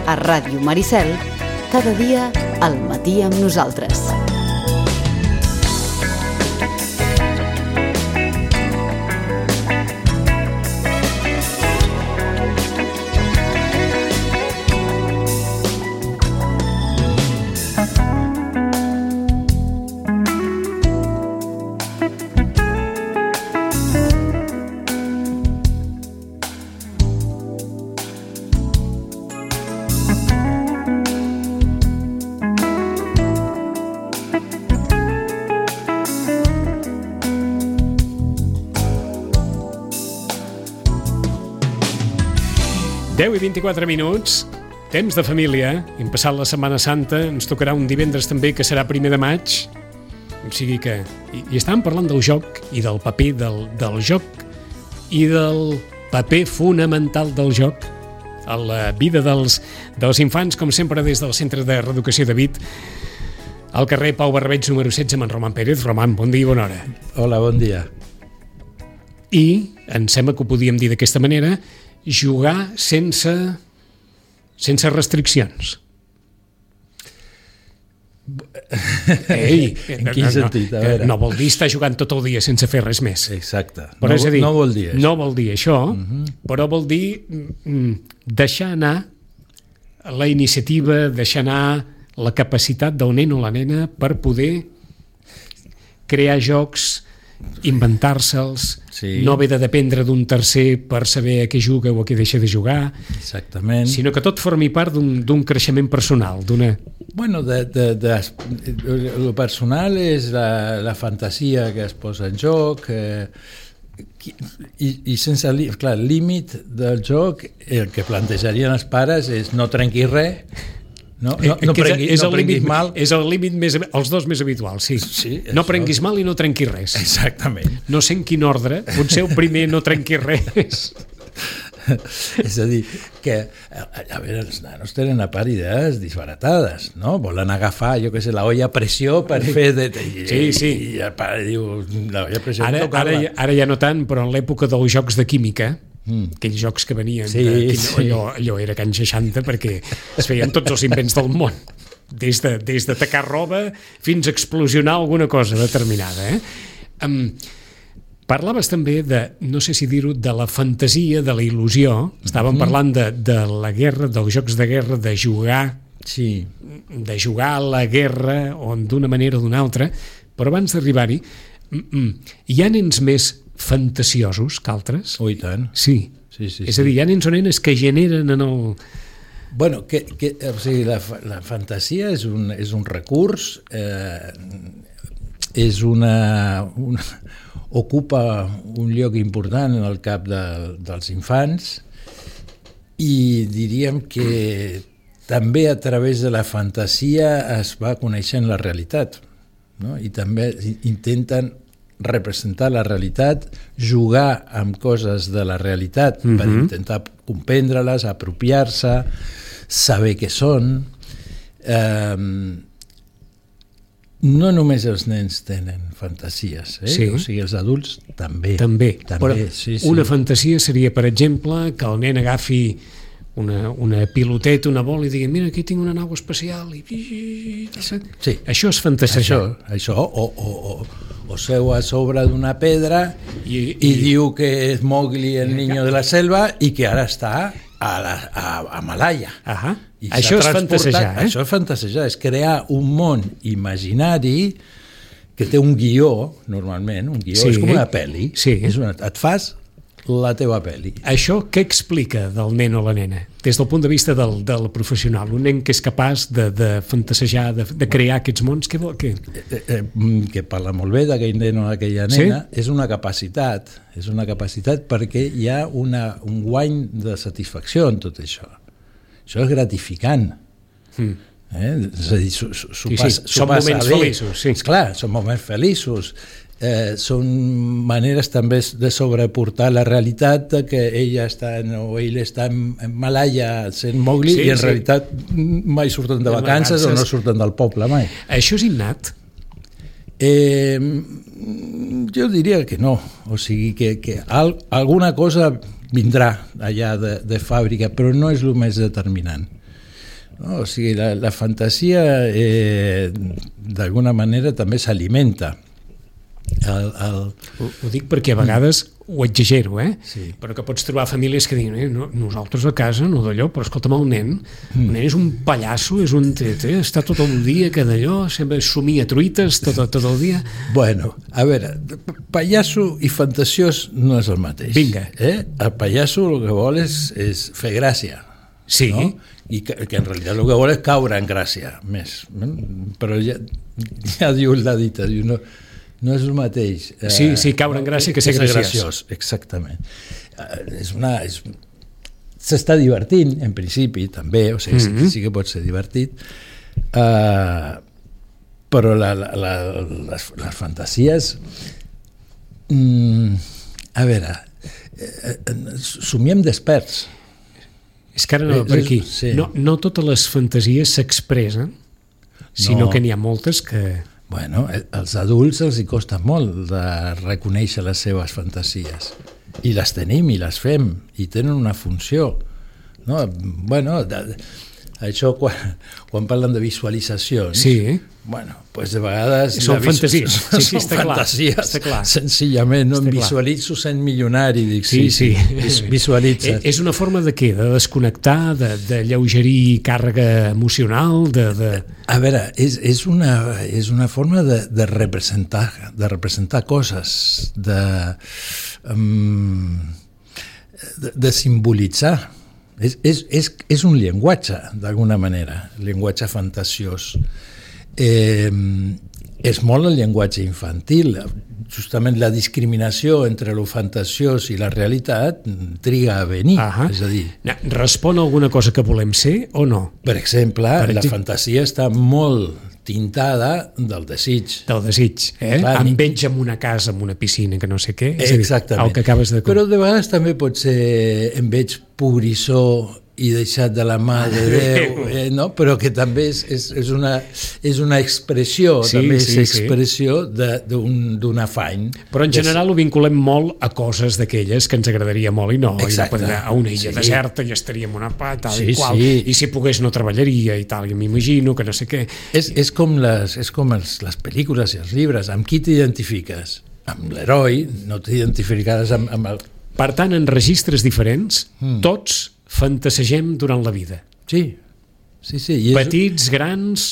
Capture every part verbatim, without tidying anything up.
A Ràdio Maricel, cada dia al matí amb nosaltres. deu i vint-i-quatre minuts, temps de família. Hem passat la Setmana Santa, ens tocarà un divendres també que serà primer de maig. O sigui que... I, i estàvem parlant del joc i del paper del, del joc i del paper fonamental del joc a la vida dels, dels infants, com sempre des del Centre de Reeducació de Vic, al carrer Pau Barbeig número setze amb en Roman Pérez. Roman, bon dia i bona hora. Hola, bon dia. I em sembla que ho podíem dir d'aquesta manera, jugar sense sense restriccions. Ei, en quin no, sentit? A veure. No vol dir estar jugant tot el dia sense fer res més. Exacte. Però no, és a dir, no vol dir això. No vol dir això, uh-huh. però vol dir deixar anar la iniciativa, deixar anar la capacitat del nen o la nena per poder crear jocs, inventar-se'ls, sí. No haver de dependre d'un tercer per saber a què juga o a què deixa de jugar. Exactament. Sinó que tot formi part d'un, d'un creixement personal, d'una... Bueno, de, de, de, el personal és la, la fantasia que es posa en joc, eh, i, i sense, clar, el límit del joc, el que plantejarien els pares és no trenquis res. No, no, no, prengui, és, no prenguis límit, mal. És el límit més, els dos més habituals, sí. sí no prenguis mal i no trenquis res. Exactament. No sé en quin ordre, potser el primer no trenquis res. És a dir, que a, a veure, els nanos tenen a part idees disbaratades, no? Volen agafar, jo què sé, la olla a pressió per fer... De, de, sí, sí. I, i el pare diu, la olla a pressió... Ara, ara, ara ja no tant, però en l'època dels jocs de química, Mm. aquells jocs que venien sí, de, sí. allò, allò era can seixanta perquè es feien tots els invents del món, des de, des de tacar roba fins a explosionar alguna cosa determinada, eh? Um, parlaves també de, no sé si dir-ho, de la fantasia, de la il·lusió. Estàvem mm-hmm. parlant de, de la guerra, dels jocs de guerra, de jugar sí. de jugar a la guerra o d'una manera o d'una altra, però abans d'arribar-hi hi ha nens més fantasiosos que altres? Oh, i tant. Sí. Sí, sí, és a dir, hi ha nens o nenes que generen en el... Bueno, que, que, o sigui, la, la fantasia és un, és un recurs, eh, és una, una... ocupa un lloc important en el cap de, dels infants i diríem que també a través de la fantasia es va coneixent la realitat, no? I també intenten representar la realitat, jugar amb coses de la realitat mm-hmm. per intentar comprendre-les, apropiar-se, saber què són. Eh, no només els nens tenen fantasies, eh? Sí. O sigui, els adults també. També, també però sí, sí. Una fantasia seria, per exemple, que el nen agafi una, una piloteta, una bola i digui, mira, aquí tinc una nau espacial i... Sí. Això és fantasejar. Això, això o, o, o, o seu a sobre d'una pedra i, i, i diu que és Mowgli el niño de la selva i que ara està a, la, a, a Malaya. Ahà. Això és fantasejar, eh? Això és fantasejar, és crear un món imaginari que té un guió, normalment, un guió, sí. És com una pel·li, sí. És una, et fas la teva pel·li. Això què explica del nen o la nena? Des del punt de vista del, del professional, un nen que és capaç de, de fantasejar, de, de crear aquests mons, què vol? Què? Eh, eh, que parla molt bé d'aquell nen o d'aquella nena, sí? És una capacitat, és una capacitat perquè hi ha una, un guany de satisfacció en tot això. Això és gratificant. Mm. Eh? És a dir, s'ho, s'ho sí, passa, sí. Són moments bé. Feliços. Sí. Clar, són moments feliços. Eh, són maneres també de sobreportar la realitat de que ella està en, o ell està en, en Malaya sent Mowgli sí, i en sí. realitat mai surten de vacances, vacances o no surten del poble mai. Això és innat? Eh, jo diria que no, o sigui que, que al, alguna cosa vindrà allà de, de fàbrica, però no és el més determinant. No? O sigui, la, la fantasia eh, d'alguna manera també s'alimenta. El, el... Ho, ho dic perquè a vegades ho exagero, eh? Sí. Però que pots trobar famílies que diuen eh, no, nosaltres a casa no d'allò, però escolta'm, el nen mm. el nen és un pallasso, és un tete, està tot el dia que d'allò, sempre somia truites tot, tot el dia. Bueno, a veure, pallasso i fantasiós no és el mateix. Vinga. Eh? El pallasso el que vol és, és fer gràcia. Sí. No? I que, que en realitat el que vol és caure en gràcia, més. Però ja, ja diu la dita, diu, no, no és el mateix. Sí, sí, caure en gràcia que ser graciós. graciós. Exactament. És una... És, s'està divertint, en principi, també, o sigui, mm-hmm. sí que pot ser divertit, uh, però la, la, la, les, les fantasies... Mm, a veure, eh, somiem desperts. És que ara no, per aquí, sí. no, no totes les fantasies s'expressen, sinó no. que n'hi ha moltes que... Bueno, als adults els hi costa molt de reconèixer les seves fantasies. I les tenim i les fem, i tenen una funció. No? Bueno, de, això quan, quan parlen de visualitzacions, sí. bueno, pues de vegades... Són fantasies, sí, sí, està clar. Fantasies, està clar. Senzillament, no? Em visualitzo sent milionari, dic, sí, sí, sí. Visualitza. És una forma de què? De desconnectar, de, de lleugerir càrrega emocional, de... de... A veure, és, és, una, és una forma de, de representar, de representar coses, de, um, de, de simbolitzar. És, és, és, és un llenguatge, d'alguna manera, llenguatge fantasiós. Eh, és molt el llenguatge infantil. Justament la discriminació entre lo fantasiós i la realitat triga a venir. Uh-huh. És a dir... Respon a alguna cosa que volem ser o no? Per exemple, per la fantasia està molt tintada del desig. Del desig, eh? Clar, em veig en una casa, en una piscina, que no sé què. És exactament. A dir, el que acabes de... Però de vegades també pot ser em veig pobrissó i deixat de la mà de Déu, eh, no? Però que també és, és, és, una, és una expressió, sí, també és sí, expressió sí. d'un afany. Però en general ho vinculem molt a coses d'aquelles que ens agradaria molt i no. Exacte. I no a una illa sí. deserta i estaríem una pa, tal sí, i qual, sí. i si pogués no treballaria i tal, i m'imagino que no sé què. És, és com, les, és com els, les pel·lícules i els llibres, amb qui t'identifiques? Amb l'heroi, no t'identificaràs amb, amb el... Per tant, en registres diferents, mm. tots fantasegem durant la vida. Sí, sí, sí. I és... Petits, grans,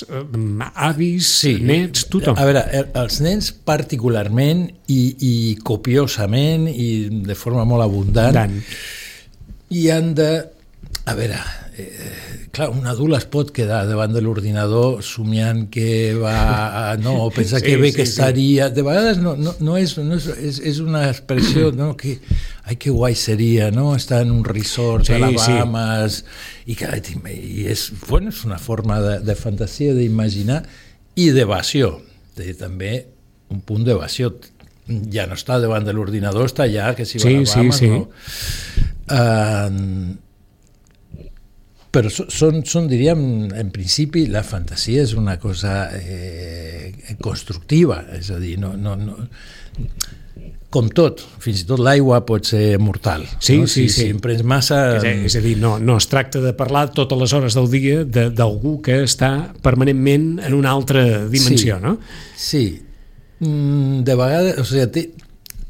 avis, sí. nets, tothom. A veure, els nens particularment i, i copiosament i de forma molt abundant Dan. i han de... A veure, eh, clar, un adult es pot quedar davant de l'ordinador somiant que va a, no, o pensar sí, que bé sí, que estaria... De vegades no, no, no, és, no és, és, és una expressió, no, que... Ai, que guai seria, no? Estar en un resort sí, a les Bahamas sí. i, que, i és, bueno, és una forma de, de fantasia, d'imaginar i d'evasió. També un punt d'evasió. Ja no està davant de l'ordinador, està allà, que si va sí, a les Bahamas, sí, sí. no? Uh, però són, són, diríem, en principi la fantasia és una cosa eh, constructiva, és a dir, no... no, no com tot, fins i tot l'aigua pot ser mortal. Sí, no? sí, si, sí. Si en prens massa... És a, és a dir, no, no es tracta de parlar totes les hores del dia d'algú que està permanentment en una altra dimensió, sí, no? Sí. De vegades, o sigui, té,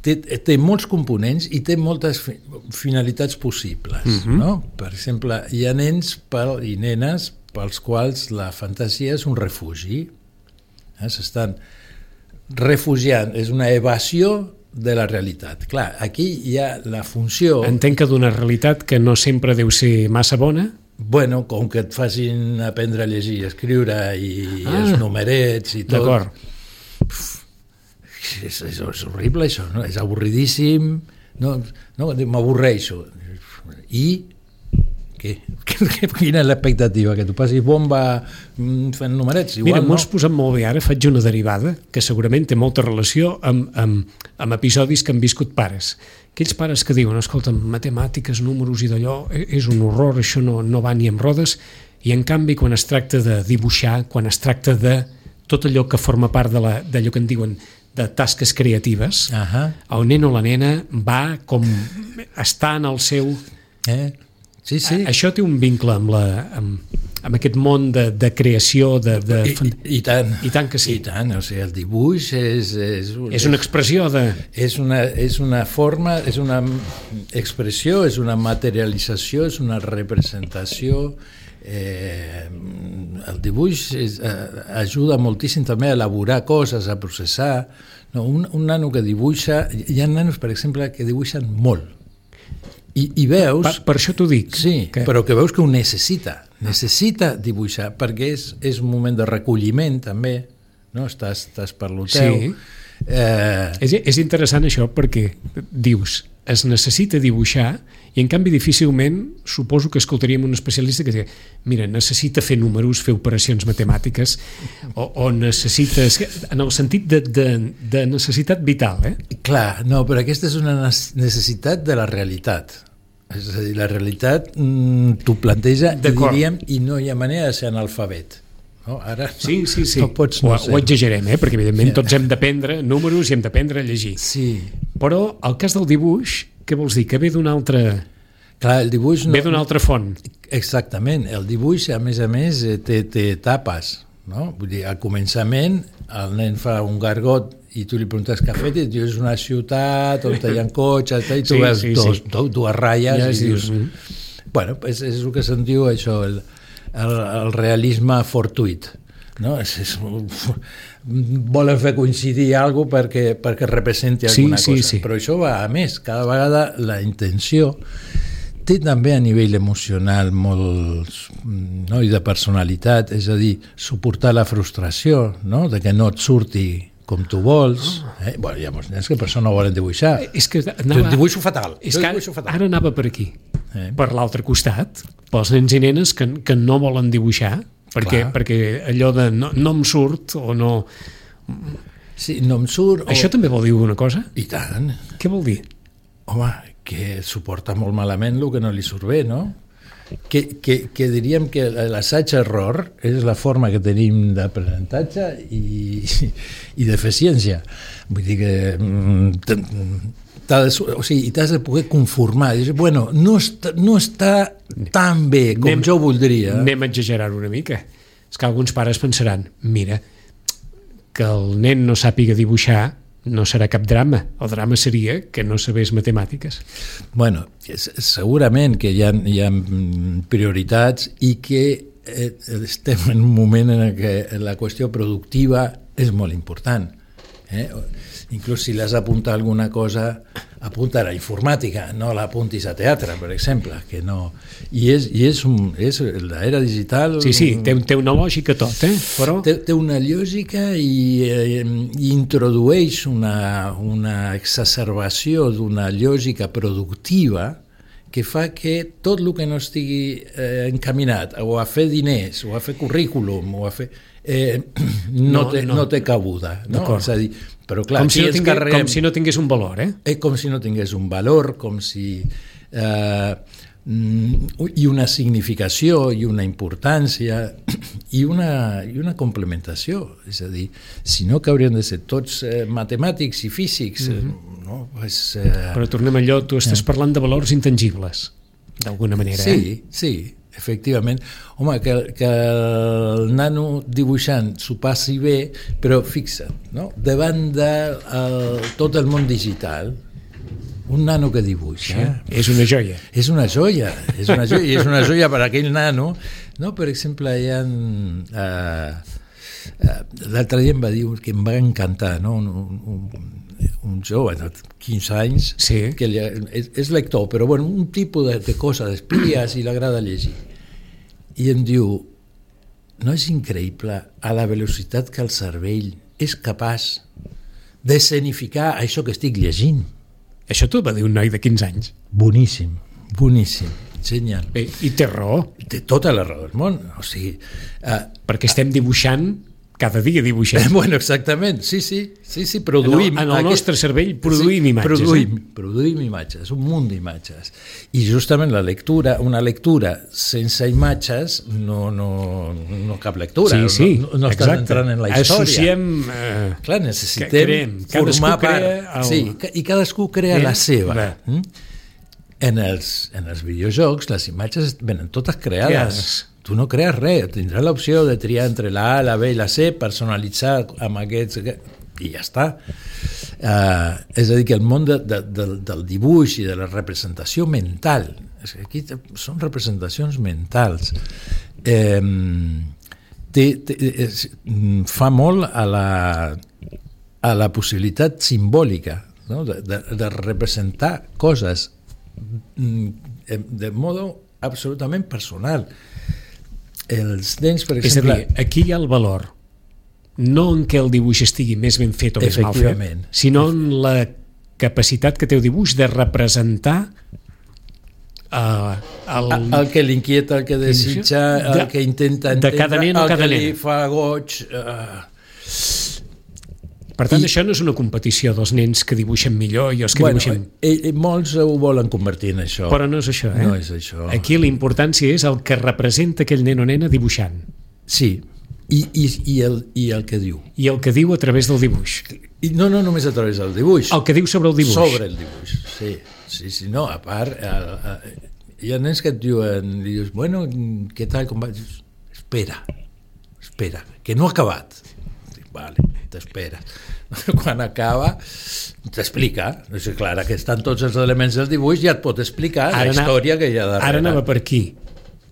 té, té molts components i té moltes finalitats possibles, uh-huh. no? Per exemple, hi ha nens per, i nenes pels quals la fantasia és un refugi. Eh? S'estan refugiant, és una evasió de la realitat. Clar, aquí hi ha la funció... Entenc que d'una realitat que no sempre deu ser massa bona? Bueno, com que et facin aprendre a llegir i escriure i ah, els numerets i tot... D'acord. És, és, és horrible això, no? És avorridíssim, no, no m'avorreixo. I... Què? Quina és l'expectativa? Que tu passis bomba fent numerets? Igual, Mira, m'ho has no? posat molt bé ara, faig una derivada que segurament té molta relació amb, amb, amb episodis que han viscut pares. Aquells pares que diuen, escolta, matemàtiques, números i d'allò, és un horror, això no, no va ni amb rodes, i en canvi quan es tracta de dibuixar, quan es tracta de tot allò que forma part d'allò que en diuen de tasques creatives, uh-huh. el nen o la nena va com està en el seu... Eh? Sí, sí. A, això té un vincle amb la, amb, amb aquest món de, de creació de, de... I, i, i tant i tant que sí, i tant, o sigui, el dibuix és és, és una expressió de és una, és una forma, és una expressió, és una materialització, és una representació. Eh, el dibuix és, eh, ajuda moltíssim també a elaborar coses, a processar. No, un, un nano que dibuixa, hi ha nanos, per exemple, que dibuixen molt. I, i veus... Per, per això t'ho dic. Sí, que... però que veus que ho necessita. Necessita dibuixar, perquè és, és un moment de recolliment, també. No? Estàs, estàs per lo teu. Sí. Eh... És, és interessant això, perquè dius, es necessita dibuixar, i en canvi difícilment suposo que escoltaríem un especialista que diu, mira, necessita fer números, fer operacions matemàtiques, o, o necessites... En el sentit de, de, de necessitat vital, eh? Clar, no, però aquesta és una necessitat de la realitat. És a dir, la realitat mm, t'ho planteja, i diríem, i no hi ha manera de ser analfabet. No, ara sí, sí, sí. No pots no ho, ho exagerem, eh? Perquè evidentment sí. Tots hem d'aprendre números i hem d'aprendre a llegir. Sí. Però el cas del dibuix, què vols dir? Que ve d'una altra... Clar, el dibuix no... Ve d'una altra font. Exactament. El dibuix, a més a més, té, té etapes. No? Vull dir, al començament el nen fa un gargot i tu li preguntes què ha fet i et diu és una ciutat on hi ha cotxes i tu sí, veus sí, dos, sí. dues ratlles ja i dius... dius... Bueno, és, és el que se'n diu això, el, el, el realisme fortuit. No? És, és, volen fer coincidir alguna cosa perquè, perquè representi alguna sí, sí, cosa. Sí. Però això va a més. Cada vegada la intenció té també a nivell emocional molt, no? I de personalitat, és a dir, suportar la frustració, no? De que no et surti com tu vols. Eh? Bueno, hi ha molts nens que per això no volen dibuixar. És que anava... Jo dibuixo fatal. És jo que dibuixo fatal. Ara anava per aquí. Eh? Per l'altre costat, pels nens i nenes que, que no volen dibuixar, perquè, perquè allò de no, no em surt o no... Sí, no em surt... Això o... també vol dir alguna cosa? I tant. Què vol dir? Home, que suporta molt malament el que no li surt bé, no? Que, que, que diríem que l'assaig-error és la forma que tenim d'aprenentatge i, i d'eficiència. Vull dir que t'has de, o sigui, t'has de poder conformar. Dir, bueno, no està, no està tan bé com anem, jo voldria. Anem a exagerar una mica. És que alguns pares pensaran, mira, que el nen no sàpiga dibuixar no serà cap drama. El drama seria que no sabés matemàtiques. Bueno, segurament que hi ha, hi ha prioritats i que eh, estem en un moment en què la qüestió productiva és molt important. Eh? Inclús si l'has d'apuntar alguna cosa, apunta a la informàtica, no l'apuntis a teatre, per exemple, que no... I és, i és, un, és l'era digital... Sí, sí, té, té una lògica tot, eh? Però... Té, té una lògica i, eh, i introdueix una, una exacerbació d'una lògica productiva que fa que tot el que no estigui eh, encaminat o a fer diners, o a fer currículum, o a fer... Eh, no, no, té, no. no té cabuda. No? És a dir, però clar, com, si no tingués, carreguem, com si no tingués un valor, eh? eh? Com si no tingués un valor, com si... Eh, i una significació i una importància i una, i una complementació, és a dir, si no que haurien de ser tots eh, matemàtics i físics, mm-hmm. no? Pues, eh... Però tornem a allò, tu estàs eh. parlant de valors intangibles, d'alguna manera, sí, eh? Sí, efectivament. Home, que, que el nano dibuixant s'ho passi bé, però fixa't, no? Davant de el, tot el món digital, un nano que dibuixa... Sí, és una joia. És una joia, és una joia, i és una joia per a aquell nano. No, per exemple, hi ha... Uh, uh, l'altre dia em va dir que em va encantar, no? un, un, un jove de quinze anys, sí. Que li, és, és lector, però bueno, un tipus de, de cosa, d'espies, i l'agrada llegir. I em diu, no és increïble a la velocitat que el cervell és capaç d'escenificar això que estic llegint? Això t'ho va dir un noi de quinze anys. Boníssim, boníssim, genial. Bé, i té raó. Té tota la raó del món, o sigui... Uh, Perquè estem dibuixant, cada dia dibuixem. Eh, bueno, exactament, sí, sí, sí, sí produïm... En el, en el nostre aquest... cervell produïm sí, imatges. Produïm, eh? produïm imatges, un munt d'imatges. I justament la lectura, una lectura sense imatges, no, no, no cap lectura, sí, sí, no, no estàs entrant en la història. Associem... Eh, Clar, necessitem creem, formar part... El... Sí, i cadascú crea eh? la seva. Mm? En els, en els videojocs les imatges venen totes creades. tu no crees res, tindràs l'opció de triar entre la A, la B i la C, personalitzar amb aquests... i ja està. Uh, és a dir, que el món de, de, de, del dibuix i de la representació mental, és que aquí són representacions mentals, eh, té, té, és, fa molt a la, a la possibilitat simbòlica, no? de, de, de representar coses de modo absolutament personal. Els nens, per exemple... És a dir, aquí hi ha el valor no en què el dibuix estigui més ben fet o més mal fet, sinó en la capacitat que té el dibuix de representar uh, el... el que l'inquieta, el que desitja, el de, que intenta entendre, de cada nen o el cada que nen. li fa goig... Uh... Per tant, I, això no és una competició dels nens que dibuixen millor i els que bueno, dibuixen... Eh, molts ho volen convertir en això. Però no és això, eh? No és això. Aquí la importància és el que representa aquell nen o nena dibuixant. Sí, i, i, i, el, i el que diu. I el que diu a través del dibuix. I no, no només a través del dibuix. El que diu sobre el dibuix. Sobre el dibuix, sí. Sí, sí, no, a part... A, a, hi ha nens que et diuen, li dius, bueno, què tal, com va? Dius, espera, espera, que no ha acabat. Dic, vale, t'espera. Quan acaba t'explica, és clar, que estan tots els elements del dibuix, ja et pot explicar ara la història que hi ha darrere. Ara anava per aquí.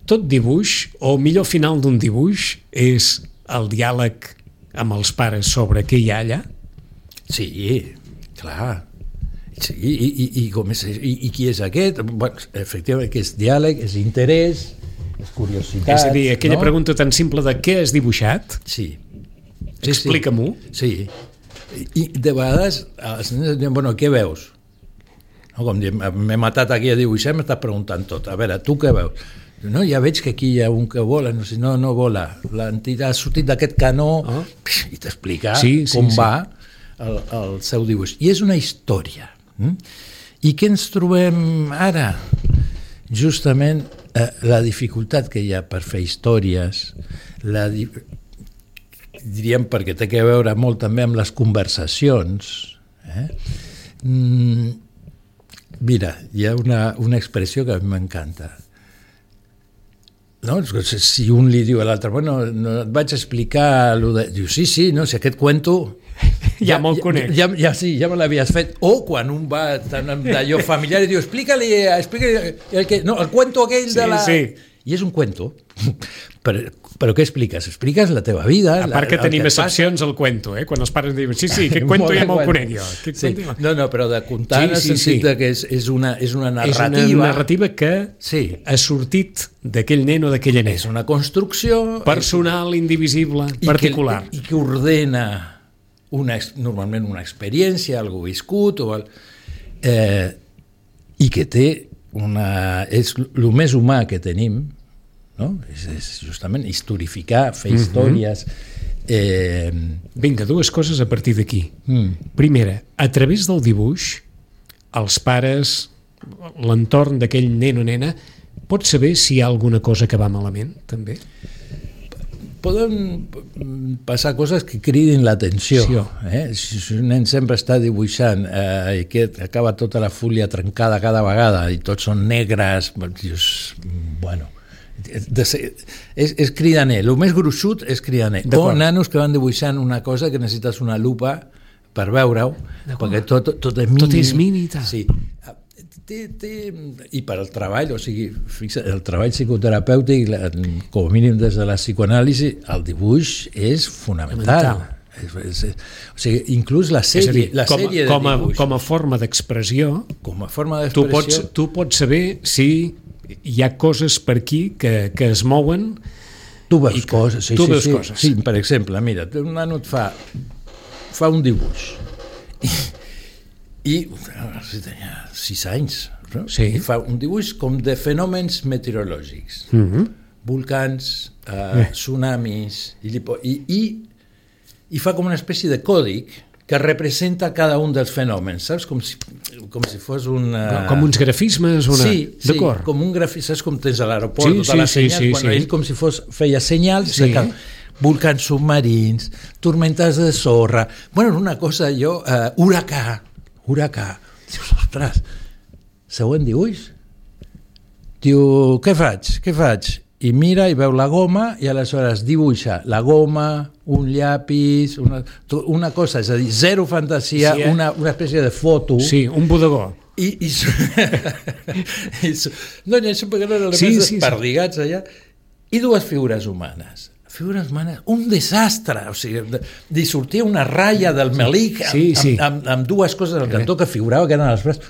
Tot dibuix, o millor final d'un dibuix, és el diàleg amb els pares sobre què hi ha allà? Sí, clar. Sí, i, i, i, com és, i, i qui és aquest? Bueno, efectivament, que és diàleg, és interès, és curiositat. És a dir, aquella no? pregunta tan simple de què has dibuixat? Sí. sí Explica-m'ho. Sí. sí. I de vegades els nens diuen, bueno, què veus? No, com diem, m'he matat aquí a dibuixar, m'estàs preguntant tot. A veure, tu què veus? No, ja veig que aquí hi ha un que vola, no, si no, no vola. L'entitat ha sortit d'aquest canó oh. i t'explica sí, sí, com sí. va el, el seu dibuix. I és una història. Mm? I què ens trobem ara? Justament eh, la dificultat que hi ha per fer històries, la di... diríem perquè té que veure molt també amb les conversacions. Eh? Mm, mira, hi ha una, una expressió que a mi m'encanta. No? Si un li diu a l'altre, bueno, no et vaig explicar lo de... Diu, sí, sí, no, si aquest cuento... Ja, ja me'l conec. Ja, ja, sí, ja me l'havies fet. O quan un va d'allò familiar i diu, explica-li, explica-li el, que, no, el cuento aquell sí, de la... Sí. I és un cuento. Però, però què expliques? Expliques la teva vida. A part que la, tenim que excepcions al cuento, eh? Quan els pares diuen, sí, sí, aquest cuento ja me'l conec jo. Sí. No, no, però de contar sí, en el sí, sentit sí. que és, és, una, és una narrativa. És una narrativa que sí. ha sortit d'aquell nen o d'aquella nena. És una construcció... Personal, indivisible, particular. I que, i que ordena una, normalment una experiència, algú viscut, o el, eh, i que té una... és el més humà que tenim, no? És, és justament historificar, fer mm-hmm. històries. Eh... Vinga, dues coses a partir d'aquí. Mm. Primera, a través del dibuix, els pares, l'entorn d'aquell nen o nena, pot saber si hi ha alguna cosa que va malament, també? Poden passar coses que cridin l'atenció. Sí. Eh? Si un nen sempre està dibuixant eh, i que acaba tota la fúlia trencada cada vegada i tots són negres, dius, bueno... De ser, és, és cridaner, el més gruixut és cridaner, o nanos que van dibuixant una cosa que necessites una lupa per veure-ho, perquè tot, tot és mínim, tot és mínim i tal. Sí. Té, té, i per al treball, o sigui, fixa, el treball psicoterapèutic, com a mínim des de la psicoanàlisi, el dibuix és fonamental. És, és, és, o sigui, inclús la sèrie, dir, la com, sèrie com, de a, dibuix, com a forma d'expressió, com a forma d'expressió, tu pots, tu pots saber si hi ha coses per aquí que, que es mouen. Tu veus que, coses, sí, tu sí, veus sí, coses. Sí, per exemple, mira, un nano et fa, fa un dibuix i, i si tenia sis anys, no? Sí. I fa un dibuix com de fenòmens meteorològics, mm-hmm. volcans, eh, tsunamis, i, i, i, i fa com una espècie de còdic que representa cada un dels fenòmens, saps? Com si, com si fos un... Uh... Com uns grafismes? Una... Sí, sí, d'acord. com un grafisme, saps com tens a l'aeroport, sí, tota sí, la senyal, sí, sí, bueno, sí. ell com si fos, feia senyals, sí. de volcans submarins, tormentes de sorra, bueno, una cosa, jo, uh, huracà, huracà, dius, ostres, següent dibuix? Diu, què faig, què faig? i mira i veu la goma i aleshores dibuixa la goma, un llapis, una, una cosa, és a dir, zero fantasia, sí, eh? una, una espècie de foto. Sí, un bodegó. I, i, i no, no, això perquè no eren sí, sí, sí, perdigats allà. I dues figures humanes. Figures humanes, un desastre, o sigui, li sortia una ratlla del melic amb, sí, sí. amb, amb, amb dues coses al cantó que figurava que eren els braços,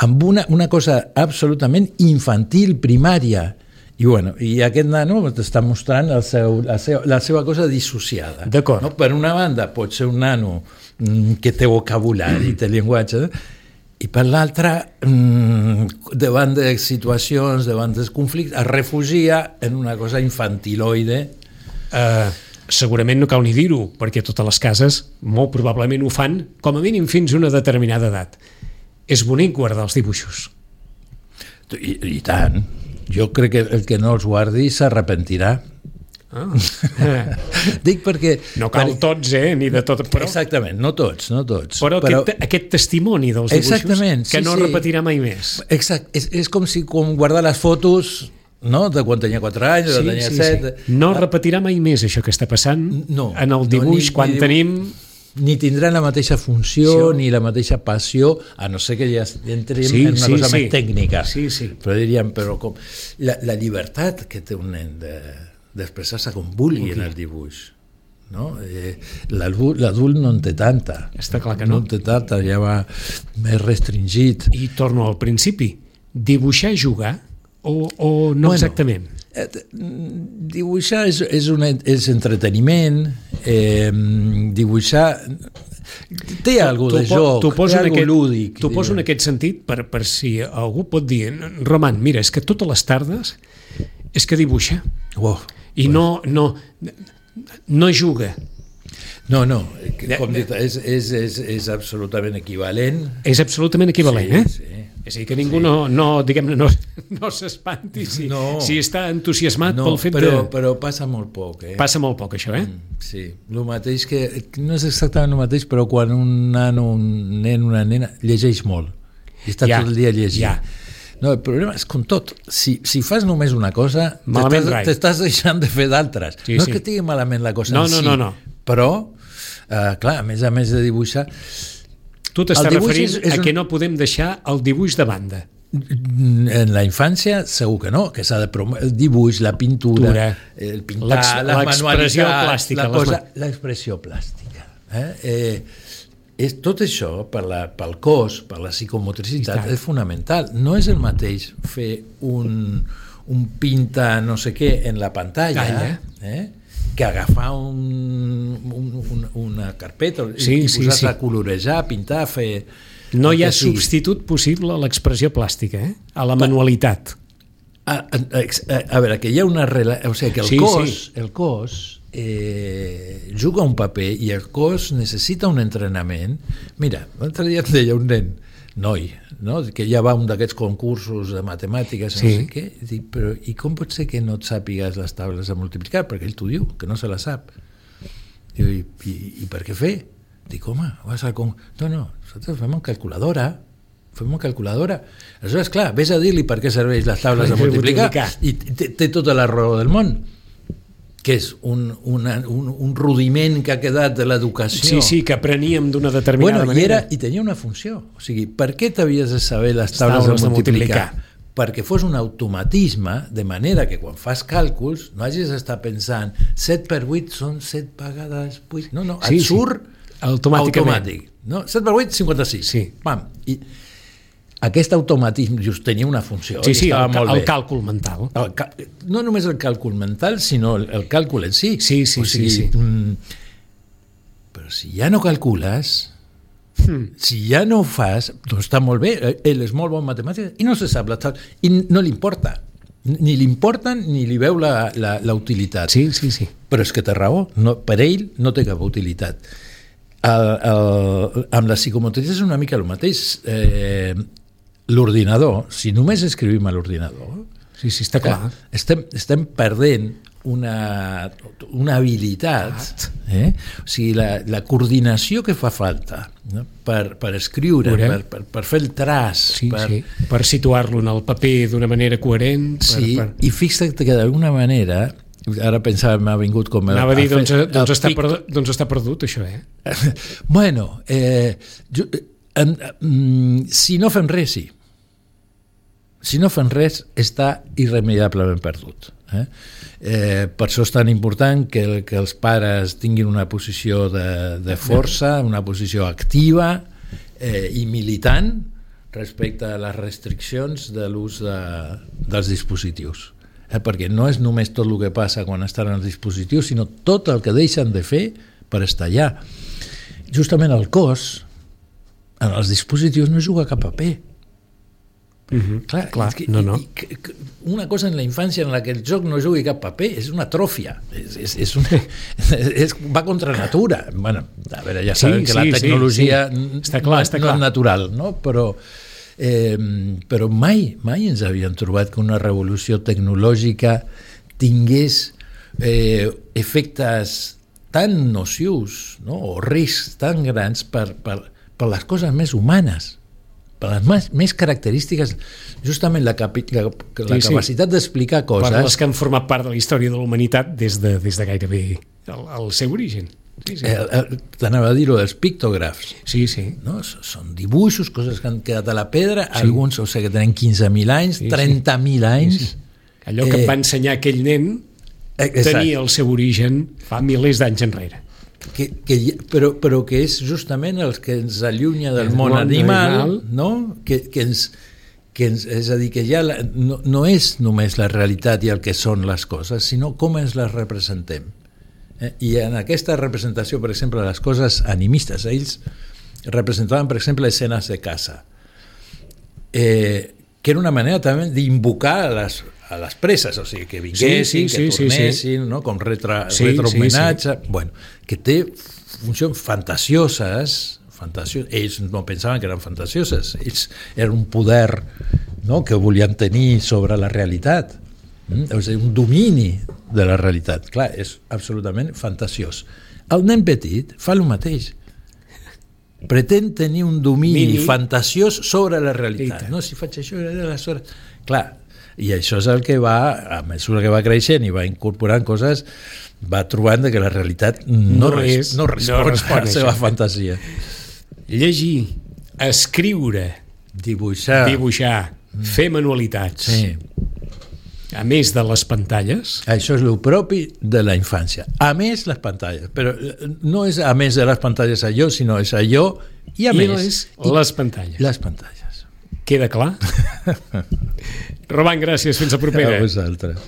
amb una, una cosa absolutament infantil, primària. I, bueno, i aquest nano t'està mostrant el seu, la, seva, la seva cosa dissociada. D'acord. No? Per una banda pot ser un nano mm, que té vocabulari, té llenguatge, i per l'altra, mmm, davant de situacions, davant dels conflictes, es refugia en una cosa infantiloide. Uh, segurament no cal ni dir-ho, perquè totes les cases molt probablement ho fan, com a mínim fins a una determinada edat. És bonic guardar els dibuixos. I, i tant. Jo crec que el que no els guardi s'arrepentirà. Ah. Dic perquè... No cal per... tots, eh? Ni de tot, però... Exactament, no tots, no tots. Però, però... Aquest, aquest testimoni dels dibuixos que no sí, repetirà mai més. Exacte, és, és com si com guardar les fotos... No? De quan tenia quatre anys, sí, de tenia sí, set... Sí. No repetirà mai més això que està passant no, en el dibuix, no, ni, quan ni, tenim... Ni tindran la mateixa funció, sí. Ni la mateixa passió, a no ser que ja entrem sí, en una sí, cosa sí. més tècnica. Sí, sí. Però diríem, però com... La, la llibertat que té un nen de, d'expressar-se com vulgui okay. en el dibuix. No? Eh, l'adult no en té tanta. Està clar que no. No en té tanta, ja va més restringit. I torno al principi. Dibuixar i jugar o, o no bueno, exactament? Eh, dibuixar és, és, una, és entreteniment, eh, dibuixar té alguna de joc, té alguna aquest, lúdic. T'ho poso en aquest sentit per, per si algú pot dir Roman, mira, és que totes les tardes és que dibuixa wow, i pues. no, no, no juga. No, no, com dit, és, és, és, és absolutament equivalent. És absolutament equivalent, sí, eh? Sí. És a dir, que ningú sí. no, no, diguem-ne, no, no s'espanti si, no. si està entusiasmat no, pel fet però, de... Però passa molt poc, eh? Passa molt poc, això, eh? Mm, sí, el mateix que... No és exactament el mateix, però quan un nano, un nen, una nena, llegeix molt. I està ja, tot el dia llegint. Ja. No, el problema és com tot. Si, si fas només una cosa, t'estàs deixant de fer d'altres. Sí, no sí. és que tingui malament la cosa no, en no, si, no, no. però, eh, clar, a més a més de dibuixar... Tu t'estàs referint és, és a que un... no podem deixar el dibuix de banda. En la infància segur que no, que s'ha de promoure el dibuix, la pintura, Tura. el pintar, les manualitats, plàstica, la cosa, l'expressió plàstica. Eh? Eh, és, tot això per la, pel cos, per la psicomotricitat és fonamental. No és el mateix fer un, un pinta no sé què en la pantalla, eh? que agafar un, un, un, una carpeta sí, i posar-se sí, sí. a colorejar, pintar, fer... No hi ha substitut possible a l'expressió plàstica, eh? A la manualitat. A, a, a, a veure, que hi ha una... O sigui, que el sí, cos, sí. el cos eh, juga un paper i el cos necessita un entrenament. Mira, l'altre dia em deia un nen, noi, no? Que ja va un d'aquests concursos de matemàtiques, sí. no sé què, i dic, però i com pot ser que no et sàpigues les taules de multiplicar? Perquè ell t'ho diu, que no se la sap. Diu, i, i, i per què fer? Dic, home, vas al con... No, no, nosaltres fem amb calculadora, fem amb calculadora. Aleshores, clar, vés a dir-li per què serveix les taules de multiplicar, i té, té tota la raó del món, que és un, una, un, un rudiment que ha quedat de l'educació. Sí, sí, que apreníem d'una determinada bueno, manera. I, era, i tenia una funció. O sigui, per què t'havies de saber les taules, taules de multiplicar? De multiplicar? Perquè fos un automatisme, de manera que quan fas càlculs no hagis d'estar pensant set per vuit són set vegades vuit. No, no, sí, et surt sí. automàticament. Automàtic. No? set per vuit, cinquanta-sis. Sí. Pam. I aquest automatisme just tenia una funció. Sí, sí, el, molt el bé. càlcul mental. El, no només el càlcul mental, sinó el, el càlcul en si. Sí, sí, o sigui, sí. sí. Mm, però si ja no calcules, hmm. si ja no ho fas, doncs està molt bé, ell és molt bon en matemàtiques i no se sap la tal, i no li importa. Ni li importen ni li veu la, la, la utilitat. Sí, sí, sí. Però és que té raó, no, per ell no té cap utilitat. El, el, amb la psicomotricis és una mica el mateix. Eh, l'ordinador, si només escrivim a l'ordinador, sí, sí, està clar. Estem, estem perdent una, una habilitat, eh? O sigui, la, la coordinació que fa falta, no? per, per escriure, per, per, per fer el traç, sí, per, sí. per situar-lo en el paper d'una manera coherent. Per, sí, per... i fixa't que d'alguna manera, ara pensava, m'ha vingut com... Anava a dir, doncs, fer, doncs, està perdut, doncs està perdut, això, eh? Bueno, eh, jo, en, en, si no fem res, sí. Si no fem res, està irremeiablement perdut. Eh? Eh, per això és tan important que, que els pares tinguin una posició de, de força, una posició activa eh, i militant respecte a les restriccions de l'ús de, dels dispositius. Eh, perquè no és només tot el que passa quan estan els dispositius, sinó tot el que deixen de fer per estar allà. Justament el cos, en els dispositius, no juga cap paper. Uh-huh. Clar, Clar, que, no, no. I, que, una cosa en la infància en la que el joc no jugui cap paper és una atròfia, és, és, és una, és, va contra natura. Bueno, a veure, ja sabem sí, que sí, la tecnologia sí, sí. Està clar, no, està clar. no és natural, no? Però, eh, però mai, mai ens havíem trobat que una revolució tecnològica tingués eh, efectes tan nocius, no? O riscs tan grans per, per, per les coses més humanes, per les més, més característiques, justament la, capi, la, la sí, capacitat sí. d'explicar coses... Per les que han format part de la història de la humanitat des de, des de gairebé el, el seu origen. Sí, sí. Eh, T'anava a dir-ho, els pictògrafs. Sí, sí. No? Són dibuixos, coses que han quedat a la pedra, sí. alguns, o sigui, que tenen quinze mil anys, sí, trenta mil sí. anys... Sí, sí. Allò que eh, va ensenyar aquell nen exacte. tenia el seu origen fa milers d'anys enrere. Que, que, però, però que és justament el que ens allunya del món, món animal, animal, no? Que, que ens, que ens, és a dir, que ja la, no, no és només la realitat i el que són les coses, sinó com ens les representem. Eh? I en aquesta representació, per exemple, les coses animistes, ells representaven, per exemple, escenes de caça, eh, que era una manera també d'invocar a les a les preses, o sigui, que vinguessin, sí, sí, que sí, tornessin, sí, sí. no? Com retra, sí, retrohomenatge, sí, sí. Bueno, que té funcions fantasioses, fantasioses, ells no pensaven que eren fantasioses, ells eren un poder, no? Que volien tenir sobre la realitat, mm? O sigui, un domini de la realitat, clar, és absolutament fantasiós. El nen petit fa el mateix, pretén tenir un domini Mini. fantasiós sobre la realitat, no? Si faig això, aleshores... Clar, i això és el que va, a mesura que va creixent i va incorporant coses, va trobant que la realitat no, no, és, no respon, no respon a la seva fantasia. Llegir, escriure, dibuixar, dibuixar mm. fer manualitats, sí. a més de les pantalles. Això és el propi de la infància. A més, les pantalles. Però no és a més de les pantalles allò, sinó és allò i a I més... Les, I les pantalles. Les pantalles. Queda clar? Roman, gràcies. Fins la propera. A vosaltres.